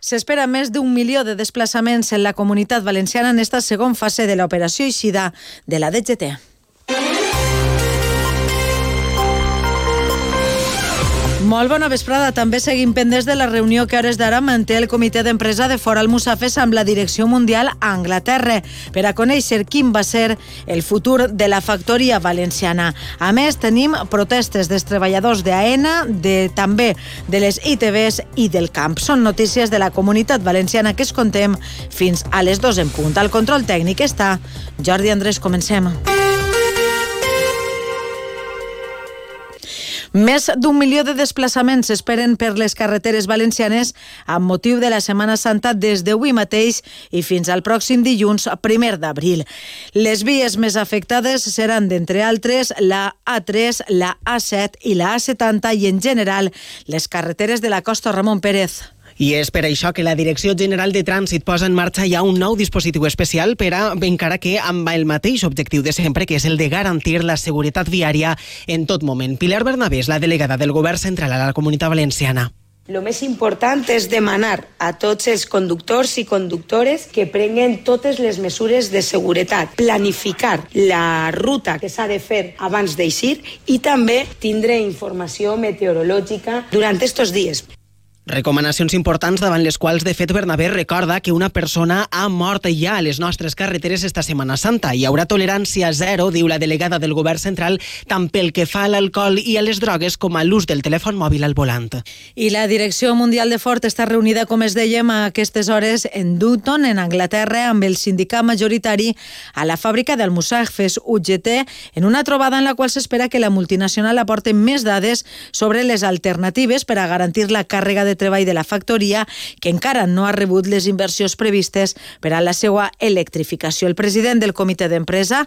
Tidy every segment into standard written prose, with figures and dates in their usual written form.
S'espera més d'1 milió de desplaçaments en la Comunitat Valenciana en esta segona fase de l'operació eixida de la DGT. Molt bona vesprada. També seguim pendents de la reunió que a hores d'ara manté el comitè d'empresa de Fora Almussafes amb la direcció mundial a Anglaterra per a conèixer quin va ser el futur de la factoria valenciana. A més, tenim protestes dels treballadors d'AENA, també de les ITVs i del camp. Són notícies de la Comunitat Valenciana que es contem fins a les 2 en punt. Al control tècnic està Jordi Andrés. Comencem. Més d'1 milió de desplaçaments s'esperen per les carreteres valencianes amb motiu de la Setmana Santa des d'avui mateix i fins al pròxim dilluns 1 d'abril. Les vies més afectades seran, d'entre altres, la A3, la A7 i la A70 i, en general, les carreteres de la costa Ramon Pérez. I és per això que la Direcció General de Trànsit posa en marxa ja un nou dispositiu especial encara que amb el mateix objectiu de sempre, que és el de garantir la seguretat viària en tot moment. Pilar Bernabé és la delegada del Govern Central a la Comunitat Valenciana. Lo més important és demanar a tots els conductors i conductores que prenguen totes les mesures de seguretat, planificar la ruta que s'ha de fer abans d'eixir i també tindre informació meteorològica durant estos dies. Recomanacions importants davant les quals, de fet, Bernabé recorda que una persona ha mort ja a les nostres carreteres esta Setmana Santa. Hi haurà tolerància zero, diu la delegada del Govern Central, tant pel que fa a l'alcohol i a les drogues com a l'ús del telèfon mòbil al volant. I la Direcció Mundial de Ford està reunida, com es dèiem, a aquestes hores en Dutton, en Anglaterra, amb el sindicat majoritari a la fàbrica d'Almussafes, UGT, en una trobada en la qual s'espera que la multinacional aporti més dades sobre les alternatives per a garantir la càrrega de treball de la factoria, que encara no ha rebut les inversions previstes per a la seva electrificació. El president del comitè d'empresa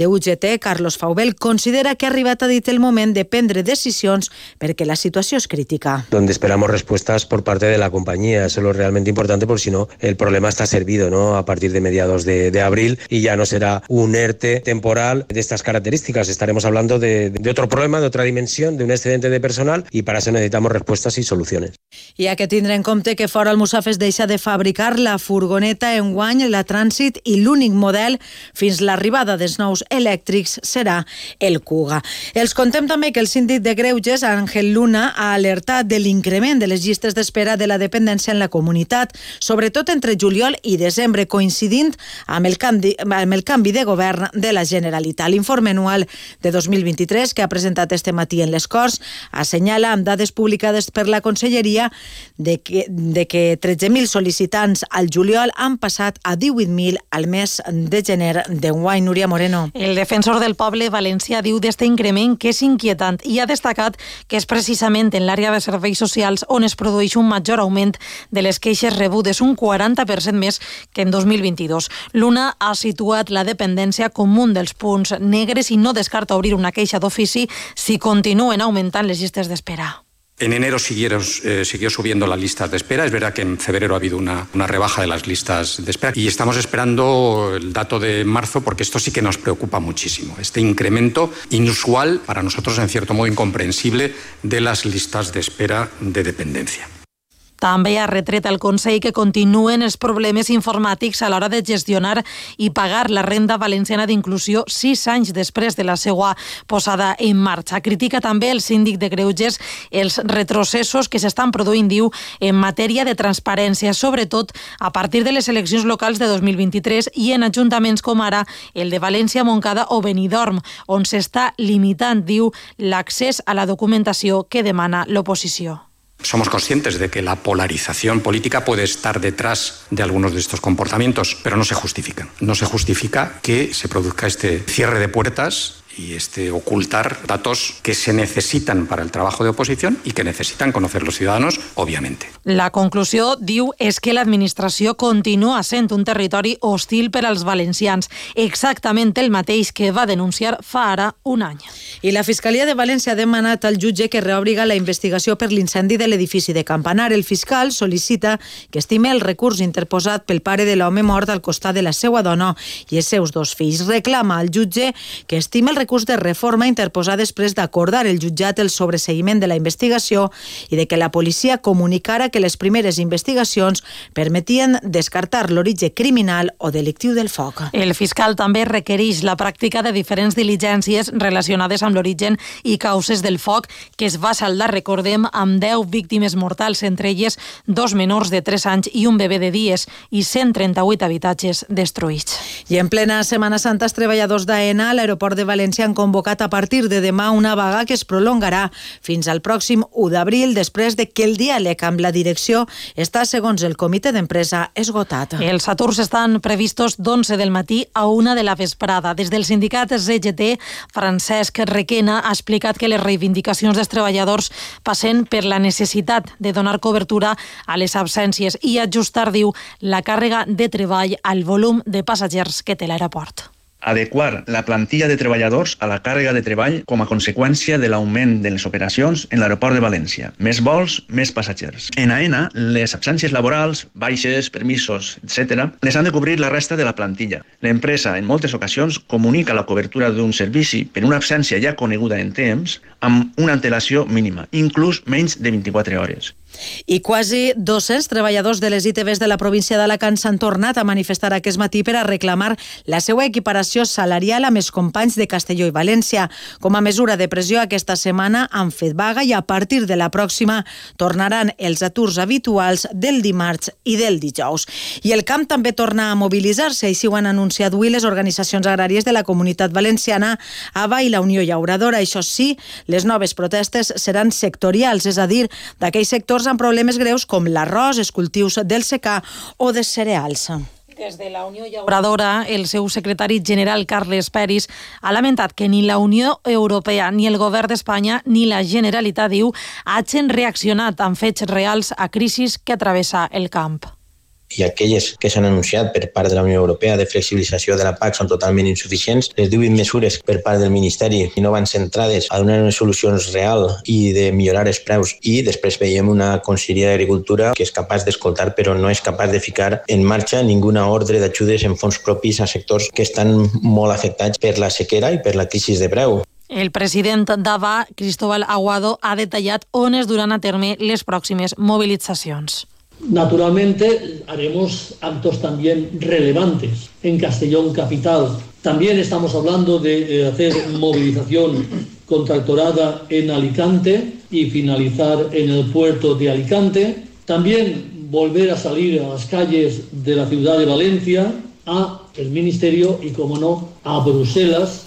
de UGT, Carlos Faubel, considera que ha arribat a dit el moment de prendre decisions perquè la situació és crítica. Donde esperamos respuestas por parte de la compañía. Eso es lo realmente importante, porque si no, el problema está servido, ¿no? A partir de mediados de abril, y ya no será un ERTE temporal de estas características. Estaremos hablando de otro problema, de otra dimensión, de un excedente de personal, y para eso necesitamos respuestas y soluciones. Hi ha que tindre en compte que Fora Almussafes deixa de fabricar la furgoneta enguany, la Trànsit, i l'únic model fins l'arribada dels nous elèctrics serà el Kuga. Els contem també que el síndic de Greuges, Àngel Luna, ha alertat de l'increment de les llistes d'espera de la dependència en la comunitat, sobretot entre juliol i desembre, coincidint amb el canvi de govern de la Generalitat. L'informe anual de 2023, que ha presentat este matí en les Corts, assenyala amb dades publicades per la Conselleria de que 13.000 sol·licitants al juliol han passat a 18.000 al mes de gener d'enguany. Núria Moreno. El defensor del poble valencià diu d'este increment que és inquietant i ha destacat que és precisament en l'àrea de serveis socials on es produeix un major augment de les queixes rebudes, un 40% més que en 2022. Luna ha situat la dependència com un dels punts negres i no descarta obrir una queixa d'ofici si continuen augmentant les llistes d'espera. En enero siguió subiendo la lista de espera. Es verdad que en febrero ha habido una rebaja de las listas de espera y estamos esperando el dato de marzo, porque esto sí que nos preocupa muchísimo. Este incremento inusual, para nosotros en cierto modo incomprensible, de las listas de espera de dependencia. També ha retret al Consell que continuen els problemes informàtics a l'hora de gestionar i pagar la renda valenciana d'inclusió 6 anys després de la seva posada en marxa. Critica també el síndic de Greuges els retrocessos que s'estan produint, diu, en matèria de transparència, sobretot a partir de les eleccions locals de 2023 i en ajuntaments com ara el de València, Montcada o Benidorm, on s'està limitant, diu, l'accés a la documentació que demana l'oposició. Somos conscientes de que la polarización política puede estar detrás de algunos de estos comportamientos, pero no se justifican. No se justifica que se produzca este cierre de puertas y ocultar datos que se necesitan para el trabajo de oposición y que necesitan conocer los ciudadanos, obviamente. La conclusió, diu, és que l'administració continua sent un territori hostil per als valencians, exactament el mateix que va denunciar fa ara un any. I la Fiscalia de València ha demanat al jutge que reobriga la investigació per l'incendi de l'edifici de Campanar. El fiscal sol·licita que estime el recurs interposat pel pare de l'home mort al costat de la seva dona i els seus 2 fills. Reclama al jutge que estime el recurs de reforma interposat després d'acordar el jutjat el sobreseguiment de la investigació i de que la policia comunicara que les primeres investigacions permetien descartar l'origen criminal o delictiu del foc. El fiscal també requereix la pràctica de diferents diligències relacionades amb l'origen i causes del foc, que es va saldar, recordem, amb 10 víctimes mortals, entre elles 2 menors de 3 anys i un bebè de dies, i 138 habitatges destruïts. I en plena Setmana Santa, els treballadors d'AENA a l'aeroport de València han convocat a partir de demà una vaga que es prolongarà fins al pròxim 1 d'abril, després de que el diàleg amb la direcció està, segons el comitè d'empresa, esgotat. Els aturs estan previstos d'11 del matí a 1 de la vesprada. Des del sindicat CGT, Francesc Requena ha explicat que les reivindicacions dels treballadors passen per la necessitat de donar cobertura a les absències i ajustar, diu, la càrrega de treball al volum de passatgers que té l'aeroport. Adequar la plantilla de treballadors a la càrrega de treball com a conseqüència de l'augment de les operacions en l'aeroport de València. Més vols, més passatgers. En AENA, les absències laborals, baixes, permisos, etc., les han de cobrir la resta de la plantilla. L'empresa, en moltes ocasions, comunica la cobertura d'un servici per una absència ja coneguda en temps amb una antelació mínima, inclús menys de 24 hores. I quasi 200 treballadors de les ITVs de la província d'Alacant s'han tornat a manifestar aquest matí per a reclamar la seva equiparació salarial amb els companys de Castelló i València. Com a mesura de pressió, aquesta setmana han fet vaga i a partir de la pròxima tornaran els aturs habituals del dimarts i del dijous. I el camp també torna a mobilitzar-se, així ho han anunciat avui les organitzacions agràries de la Comunitat Valenciana, AVA i la Unió Llauradora. Això sí, les noves protestes seran sectorials, és a dir, d'aquells sectors amb problemes greus com l'arròs, els cultius del secà o de cereals. Des de la Unió Llauradora, el seu secretari general, Carles Peris, ha lamentat que ni la Unió Europea, ni el govern d'Espanya, ni la Generalitat, diu, hagin reaccionat amb fets reals a crisis que travessa el camp. I aquelles que s'han anunciat per part de la Unió Europea de flexibilització de la PAC són totalment insuficients. Les 18 mesures per part del Ministeri no van centrades a donar unes solucions reals i de millorar els preus. I després veiem una Conselleria d'Agricultura que és capaç d'escoltar però no és capaç de ficar en marxa ninguna ordre d'ajudes en fons propis a sectors que estan molt afectats per la sequera i per la crisi de preu. El president d'AVA, Cristóbal Aguado, ha detallat on es duran a terme les pròximes movilitzacions. Naturalmente haremos actos también relevantes en Castellón capital. También estamos hablando de hacer movilización contractorada en Alicante y finalizar en el puerto de Alicante. También volver a salir a las calles de la ciudad de Valencia, a el Ministerio y, como no, a Bruselas.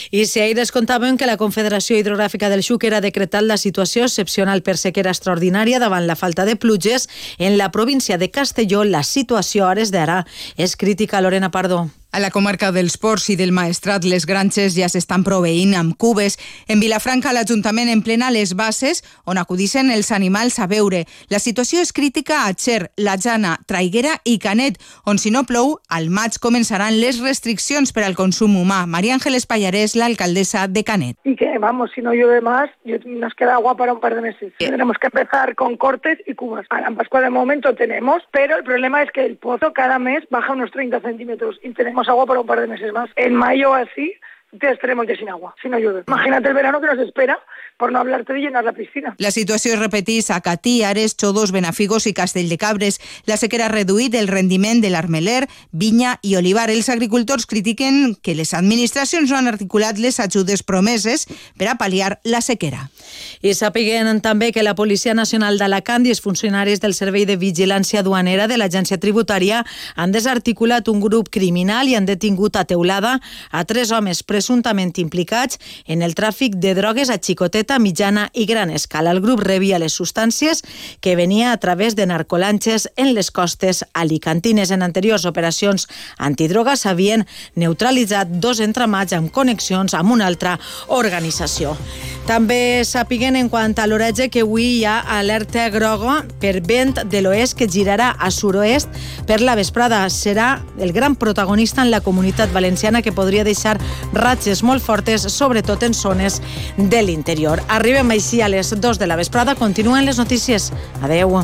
I si ahir es contàvem que la Confederació Hidrogràfica del Xúquer ha decretat la situació excepcional per sequera extraordinària davant la falta de pluges, en la província de Castelló la situació a hores d'ara és crítica. Lorena Pardo. A la comarca dels Ports i del Maestrat, les granges ja s'estan proveint amb cubes. En Vilafranca, l'Ajuntament emplena les bases on acudixen els animals a beure. La situació és crítica a Xer, La Jana, Traiguera i Canet, on si no plou, al maig començaran les restriccions per al consum humà. María Ángeles Pallarés, la alcaldesa de Canet. Y que, vamos, si no llueve más, nos queda agua para un par de meses. Tenemos que empezar con cortes y cubas. Ahora en Pascua de momento tenemos, pero el problema es que el pozo cada mes baja unos 30 centímetros y tenemos agua para un par de meses más. En mayo así estaremos ya sin agua, si no llueve. Imagínate el verano que nos espera, por no hablarte de llenar la piscina. La situació es repeteix a Catí, Ares, Xodos, Benafigos i Castell de Cabres. La sequera ha reduït el rendiment de l'Armeler, Vinya i Olivar. Els agricultors critiquen que les administracions no han articulat les ajudes promeses per a pal·liar la sequera. I sàpiguen també que la Policia Nacional d'Alacant i els funcionaris del Servei de Vigilància Duanera de l'Agència Tributària han desarticulat un grup criminal i han detingut a Teulada a 3 homes presumptament implicats en el tràfic de drogues a xicoteta, mitjana i gran escala. El grup rebia les substàncies que venia a través de narcolanxes en les costes alicantines. En anteriors operacions antidroga s'havien neutralitzat 2 entramats amb connexions amb una altra organització. També sàpiguen en quant a l'oratge que avui hi ha alerta groga per vent de l'oest que girarà a sud-oest per la vesprada. Serà el gran protagonista en la Comunitat Valenciana, que podria deixar ratxes molt fortes, sobretot en zones de l'interior. Arribem així a les 2 de la vesprada. Continuen les notícies. Adeu.